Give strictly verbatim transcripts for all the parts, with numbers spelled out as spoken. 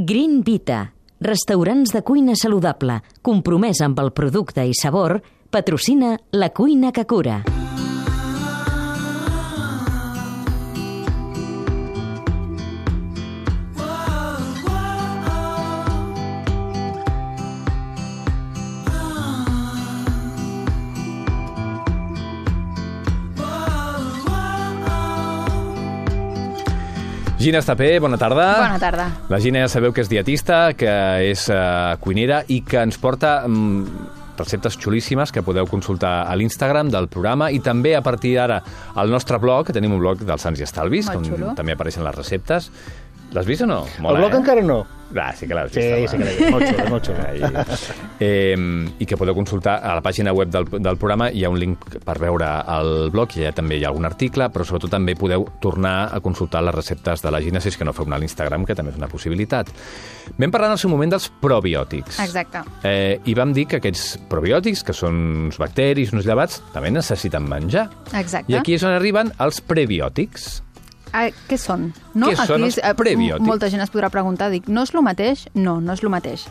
Green Vita, restaurants de cuina saludable, compromès amb el producte i sabor, patrocina La Cuina que Cura. Gina Estapé, bona tarda. Bona tarda. La Gina ja sabeu que és dietista, que és uh, cuinera i que ens porta um, receptes xulíssimes que podeu consultar a l'Instagram del programa i també a partir d'ara al nostre blog, que tenim un blog dels Sants i Estalvis, Molt on xulo. també apareixen les receptes. L'has vist o no? Mola, el blog eh? encara no. Ah, sí que l'has vist. Sí, home. sí que l'he vist. Molt xulo, molt xulo. I, eh, I que podeu consultar a la pàgina web del, del programa. Hi ha un link per veure el blog, i allà també hi ha algun article, però sobretot també podeu tornar a consultar les receptes de la Gina, si és que no feu una a l'Instagram, que també és una possibilitat. Vam parlar en el seu moment dels probiòtics. Exacte. Eh, I vam dir que aquests probiòtics, que són uns bacteris, uns llevats, també necessiten menjar. Exacte. I aquí és on arriben els prebiòtics. Ah, què són? No? Què són els és, eh, prebiòtics? Molta gent es podrà preguntar, dic, no és el mateix? No, no és el mateix.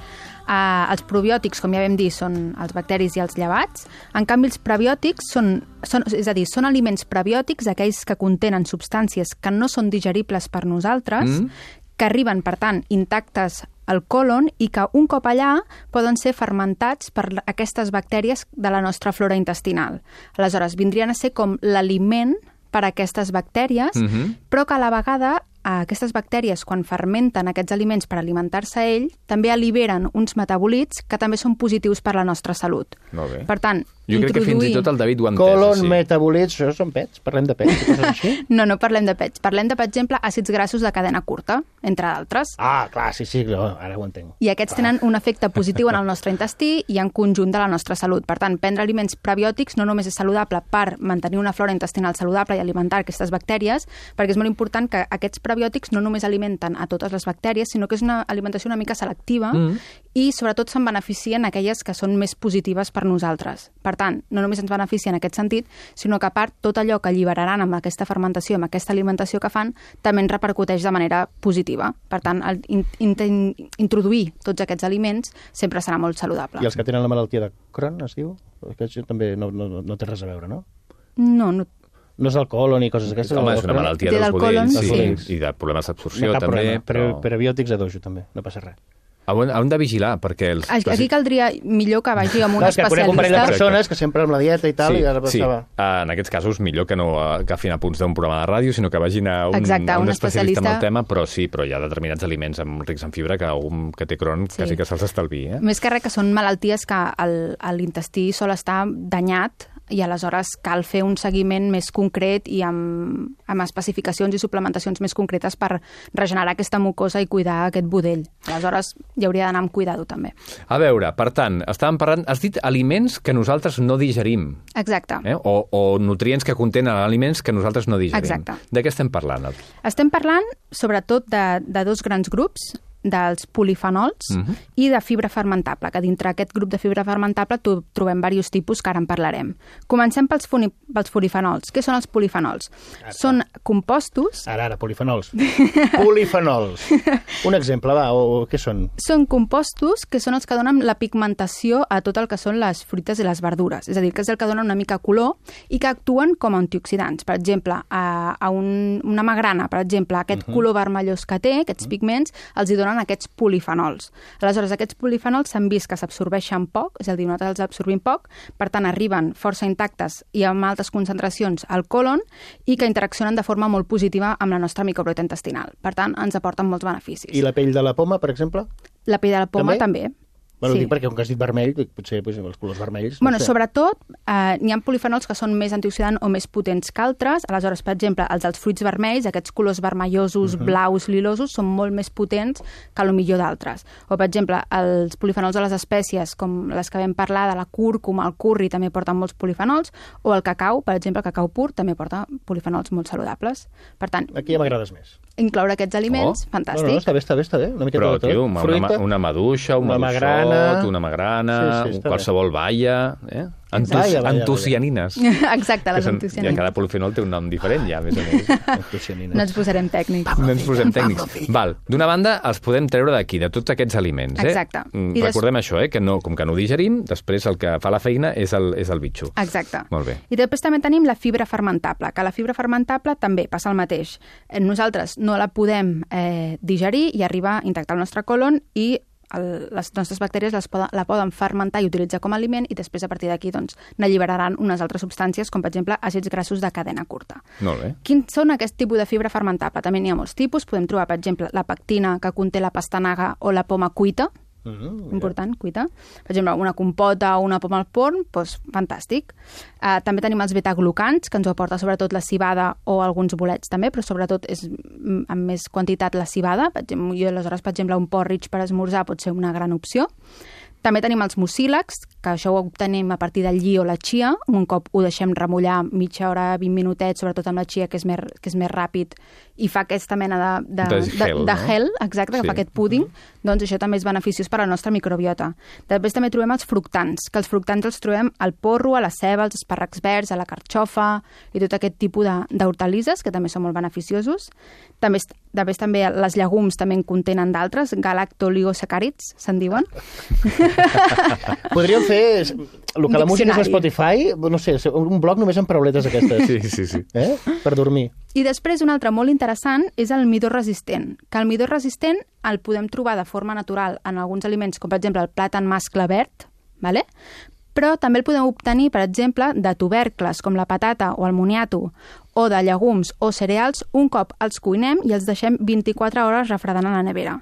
Uh, els probiòtics, com ja vam dir, són els bacteris i els llevats. En canvi, els prebiòtics són, són, és a dir, són aliments prebiòtics, aquells que contenen substàncies que no són digeribles per nosaltres, mm. que arriben, per tant, intactes al còlon i que un cop allà poden ser fermentats per aquestes bactèries de la nostra flora intestinal. Aleshores, vindrien a ser com l'aliment per a aquestes bactèries, uh-huh. però que a la vegada aquestes bactèries, quan fermenten aquests aliments per alimentar-se ell, també alliberen uns metabòlits que també són positius per a la nostra salut. Molt bé. Per tant, jo crec introduir... que fins i tot el David ho ha entès. Colon, sí. metabolits, això són pets? Parlem de pets? Coses així? No, no parlem de pets. Parlem de, per exemple, àcids grassos de cadena curta, entre d'altres. Ah, clar, sí, sí, no, ara ho entenc. I aquests clar. tenen un efecte positiu en el nostre intestí i en conjunt de la nostra salut. Per tant, prendre aliments prebiòtics no només és saludable per mantenir una flora intestinal saludable i alimentar aquestes bactèries, perquè és molt important que aquests prebiòtics no només alimenten a totes les bactèries, sinó que és una alimentació una mica selectiva mm. i sobretot se'n beneficien aquelles que són més positives per nosaltres. Per tant, no només ens beneficia en aquest sentit, sinó que a part tot allò que alliberaran amb aquesta fermentació, amb aquesta alimentació que fan, també ens repercuteix de manera positiva. Per tant, el, in, in, introduir tots aquests aliments sempre serà molt saludable. I els que tenen la malaltia de Crohn, es diu? Que això també no, no, no té res a veure, no? No, no. No és el colon i coses aquestes? Home, és una malaltia dels budells, sí, i de problemes d'absorció no també. Problema, però... però... Prebiòtics a dojo també, no passa res. Han de vigilar, perquè... Els... Aquí caldria millor que vagi amb un no, especialista. Un parell de persones que sempre amb la dieta i tal, sí, i ara sí. passava... En aquests casos, millor que no agafin apunts d'un programa de ràdio, sinó que vagin a un, Exacte, a un, un especialista especialista en el tema, però sí, però hi ha determinats aliments amb rics en fibra que algun que té Crohn sí. quasi que se'ls estalviï. Eh? Més que res que són malalties que l'intestí sol estar danyat i aleshores cal fer un seguiment més concret i amb, amb especificacions i suplementacions més concretes per regenerar aquesta mucosa i cuidar aquest budell. Aleshores, hi hauria d'anar amb cuidado, també. A veure, per tant, estàvem parlant... Has dit aliments que nosaltres no digerim. Exacte. Eh? O, o nutrients que contenen aliments que nosaltres no digerim. Exacte. De què estem parlant? Estem parlant, sobretot, de, de dos grans grups, dels polifenols uh-huh. i de fibra fermentable, que dintre aquest grup de fibra fermentable trobem diversos tipus que ara en parlarem. Comencem pels, funi, pels polifenols. Què són els polifenols? Ara, són compostos... Ara, ara, polifenols. Polifenols. Un exemple, va, o, o què són? Són compostos que són els que donen la pigmentació a tot el que són les fruites i les verdures. És a dir, que és el que dona una mica color i que actuen com a antioxidants. Per exemple, a, a un, una magrana, per exemple, aquest uh-huh. color vermellós que té, aquests uh-huh. pigments, els hi donen aquests polifenols. Aleshores, aquests polifenols s'han vist que s'absorbeixen poc, és a dir, nosaltres els absorbim poc, per tant, arriben força intactes i amb altes concentracions al còlon i que interaccionen de forma molt positiva amb la nostra microbiota intestinal. Per tant, ens aporten molts beneficis. I la pell de la poma, per exemple? La pell de la poma també. també. Bueno, sí. dic perquè, com que has dit vermell, potser pues, els colors vermells... Bueno, no sé. sobretot, eh, n'hi ha polifenols que són més antioxidants o més potents que altres. Aleshores, per exemple, els dels fruits vermells, aquests colors vermellosos, uh-huh. blaus, lilosos, són molt més potents que el millor d'altres. O, per exemple, els polifenols de les espècies, com les que vam parlar, de la cúrcuma, el curri, també porten molts polifenols, o el cacau, per exemple, el cacau pur, també porta polifenols molt saludables. Per tant... Aquí ja m'agrades més. Incloure aquests aliments, oh. fantàstic. No, no, està bé, està bé, està bé. Una miqueta Però, de tot. tio, una, Fruita, una maduixa, un una maduixó... magrana, arròs, una magrana, sí, sí, qualsevol baia, eh? Antus, Vaja, vaja, antocianines. Exacte, les són, antocianines. I cada polifenol té un nom diferent, ja, a més a més. No ens posarem tècnics. No ens posem tècnics. Val, d'una banda, els podem treure d'aquí, de tots aquests aliments. Eh? Exacte. I Recordem des... això, eh? que no, com que no ho digerim, després el que fa la feina és el, és el bitxo. Exacte. Molt bé. I després també tenim la fibra fermentable, que la fibra fermentable també passa el mateix. Nosaltres no la podem eh, digerir i arribar a intactar el nostre colon i el, les nostres bactèries les poden, la poden fermentar i utilitzar com a aliment i després a partir d'aquí doncs, n'alliberaran unes altres substàncies com per exemple àcids grassos de cadena curta. Molt bé. Quins són aquest tipus de fibra fermentable? També n'hi ha molts tipus. Podem trobar, per exemple, la pectina que conté la pastanaga o la poma cuita. Mm, important, cuita. Per exemple, una compota o una poma al forn, doncs fantàstic. Uh, també tenim els betaglucans, que ens ho aporta sobretot la civada o alguns bolets també, però sobretot és amb més quantitat la civada. Per exemple, jo, aleshores, per exemple, un porridge per esmorzar pot ser una gran opció. També tenim els mucílags, que això ho obtenim a partir del lli o la chia. Un cop ho deixem remullar mitja hora, vint minutets, sobretot amb la chia, que és més, que és més ràpid, i fa aquesta mena de, de, de de, gel, de no? gel, exacte, que Sí. fa aquest púding, doncs això també és beneficiós per a la nostra microbiota. Després també trobem els fructants, que els fructants els trobem al porro, a la ceba, als espàrrecs verds, a la carxofa i tot aquest tipus d'hortalisses, que també són molt beneficiosos. També, després també les llegums també en contenen d'altres, galactoligosacàrids, se'n diuen. Podríem fer el que la música és a Spotify, no sé, un blog només amb parauletes aquestes. Sí, sí, sí. Eh? Per dormir. I després un altre molt interessant és el midó resistent, que el midó resistent el podem trobar de forma natural en alguns aliments, com per exemple el plàtan mascle verd, ¿vale? Però també el podem obtenir, per exemple, de tubercles com la patata o el moniato, o de llegums o cereals, un cop els cuinem i els deixem vint-i-quatre hores refredant a la nevera.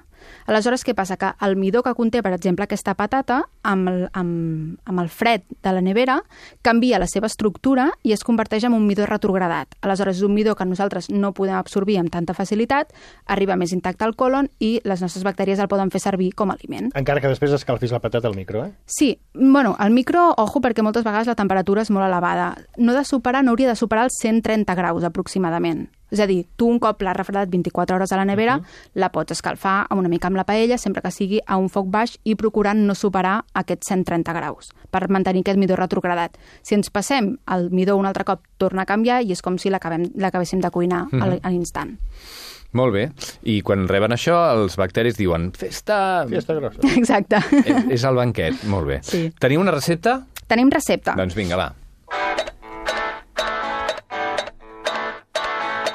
Aleshores, què passa? Que el midó que conté, per exemple, aquesta patata, amb el, amb, amb el fred de la nevera, canvia la seva estructura i es converteix en un midó retrogradat. Aleshores, és un midó que nosaltres no podem absorbir amb tanta facilitat, arriba més intacte al colon i les nostres bactèries el poden fer servir com a aliment. Encara que després escalfis la patata al micro, eh? Sí, bueno, al micro, ojo, perquè moltes vegades la temperatura és molt elevada. No de superar, no hauria de superar els cent trenta graus aproximadament. És a dir, tu un cop l'has refredat vint-i-quatre hores a la nevera, uh-huh. la pots escalfar amb una mica amb la paella, sempre que sigui a un foc baix i procurant no superar aquests cent trenta graus, per mantenir aquest midó retrogradat. Si ens passem, el midó un altre cop torna a canviar i és com si l'acabéssim de cuinar uh-huh. a l'instant. Molt bé. I quan reben això, els bacteris diuen festa... Festa grossa. Exacte. És, és el banquet. Molt bé. Sí. Teniu una recepta? Tenim recepta. Doncs vinga, va.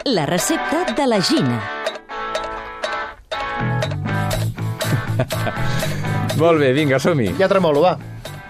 La recepta de la Gina. Molt bé, vinga, som-hi. Ja tremolo, va.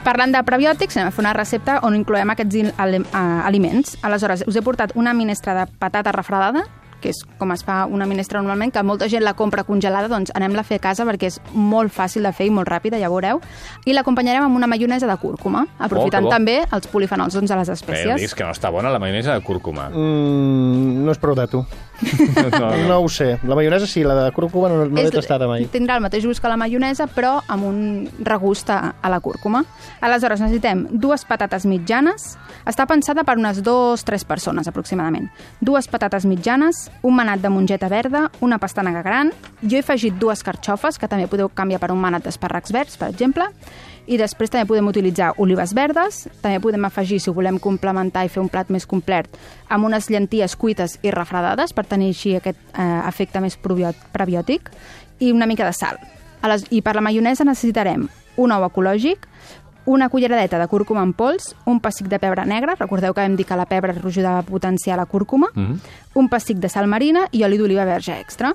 Parlant de prebiòtics, anem a fer una recepta on incloem aquests aliments. Aleshores, us he portat una minestra de patata refredada, que és com es fa una minestra normalment, que molta gent la compra congelada, doncs anem-la a fer a casa perquè és molt fàcil de fer i molt ràpida, ja veureu. I l'acompanyarem amb una maionesa de cúrcuma, aprofitant Oh, també els polifenols doncs, de les Bé, espècies. dius que no està bona la maionesa de cúrcuma. Mm, no és prou de tu. No, no. No ho sé. La maionesa sí, la de cúrcuma no, no l'he tastada mai. Tindrà el mateix gust que la maionesa, però amb un regust a, a la cúrcuma. Aleshores, necessitem dues patates mitjanes. Està pensada per unes dues o tres persones, aproximadament. Dues patates mitjanes, un manat de mongeta verda, una pastanaga gran. Jo he afegit dues carxofes, que també podeu canviar per un manat d'espàrrecs verds, per exemple. I després també podem utilitzar olives verdes, també podem afegir, si ho volem complementar i fer un plat més complet, amb unes llenties cuites i refredades per tenir així aquest eh, efecte més prebiòtic, i una mica de sal. I per la maionesa necessitarem un ou ecològic, una culleradeta de cúrcuma en pols, un pessic de pebre negre, recordeu que vam dir que la pebre ajudava a potenciar la cúrcuma, mm-hmm. un pessic de sal marina i oli d'oliva verge extra.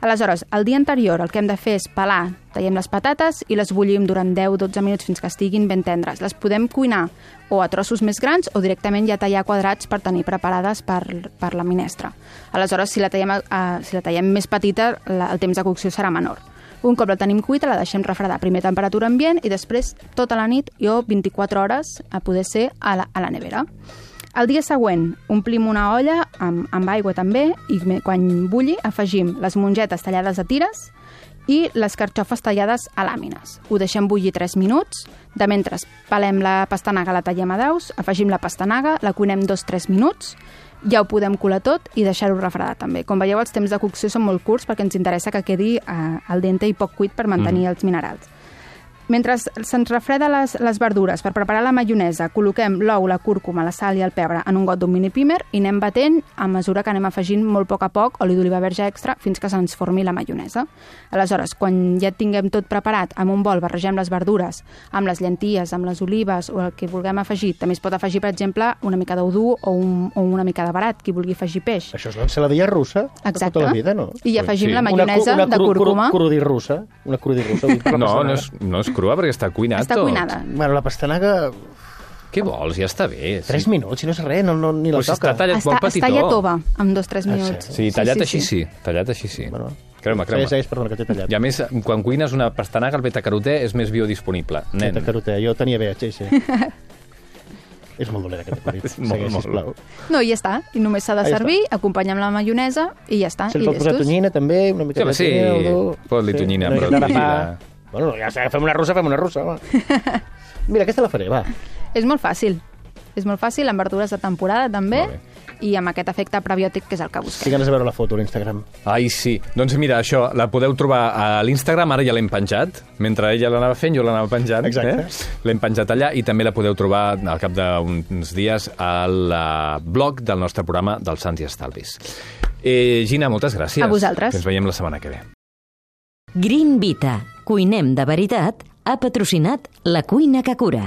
Aleshores, el dia anterior el que hem de fer és pelar, tallem les patates i les bullim durant deu a dotze minuts fins que estiguin ben tendres. Les podem cuinar o a trossos més grans o directament ja tallar quadrats per tenir preparades per, per la minestra. Aleshores, si la tallem, eh, si la tallem més petita, la, el temps de cocció serà menor. Un cop la tenim cuita, la deixem refredar a primer temperatura ambient i després tota la nit, jo vint-i-quatre hores a poder ser a la, a la nevera. El dia següent omplim una olla amb, amb aigua també i quan bulli afegim les mongetes tallades a tires i les carxofes tallades a làmines. Ho deixem bullir tres minuts, de mentre pelem la pastanaga, la tallem a daus, afegim la pastanaga, la cuinem dos a tres minuts, ja ho podem colar tot i deixar-ho refredar també. Com veieu, els temps de cocció són molt curts perquè ens interessa que quedi eh, al dente i poc cuit per mantenir mm. els minerals. mentre se'ns refreda les, les verdures per preparar la maionesa, col·loquem l'ou, la cúrcuma, la sal i el pebre en un got d'un mini pimer i anem batent a mesura que anem afegint molt a poc a poc oli d'oliva verge extra fins que se'ns formi la maionesa. Aleshores, quan ja tinguem tot preparat, en un bol barregem les verdures amb les llenties, amb les olives o el que vulguem afegir. També es pot afegir, per exemple, una mica d'ou dur o, un, o una mica de barat, qui vulgui afegir peix. Això és l'ensaladilla russa Exacte. de tota la vida, no? I afegim Sí. la maionesa una, una de cúrcuma. Una crudi russa. Una crudi russa. No, no és, no és crua perquè està cuinat Està tot. cuinada. Bueno, la pastanaga... Què vols? Ja està bé. Tres minuts, si no és res, no, no, ni la Però si toca. està tallat Està, molt petitó. està ja tova, en dos o tres Ah, sí? minuts. Sí, tallat així sí. Tallat així sí. Bueno, Creu-me, creu-me. Sí, sí, perdona, que t'he tallat. I a més, quan cuines una pastanaga, el beta-carotè és més biodisponible. Nen. Beta-carotè, jo tenia bé, sí, sí. És molt dolent aquest acudit. Molt, Segueix, molt. sisplau. No, i ja està. I només s'ha de Ah, ja servir, acompanyar amb la maionesa i ja està. Se li I pot posar llestos. tonyina, també, una mica Sí, home, sí. Pot-li tonyina, una però miqueta de tonyina. pa. Bueno, ja sé, fem una russa, fem una russa, home. Mira, aquesta la faré, va. És molt fàcil. És molt fàcil, amb verdures de temporada també, Molt bé. i amb aquest efecte prebiòtic que és el que Tinc busquem. ganes de veure la foto a l'Instagram. Ai, sí. Doncs mira, això, la podeu trobar a l'Instagram, ara ja l'hem penjat. Mentre ella l'anava fent, jo l'anava penjant. Exacte. Eh? L'hem penjat allà i també la podeu trobar al cap d'uns dies al uh, blog del nostre programa dels Sants i Estalvis. Eh, Gina, moltes gràcies. A vosaltres. Ens veiem la setmana que ve. Green Vita, cuinem de veritat, ha patrocinat La Cuina que Cura.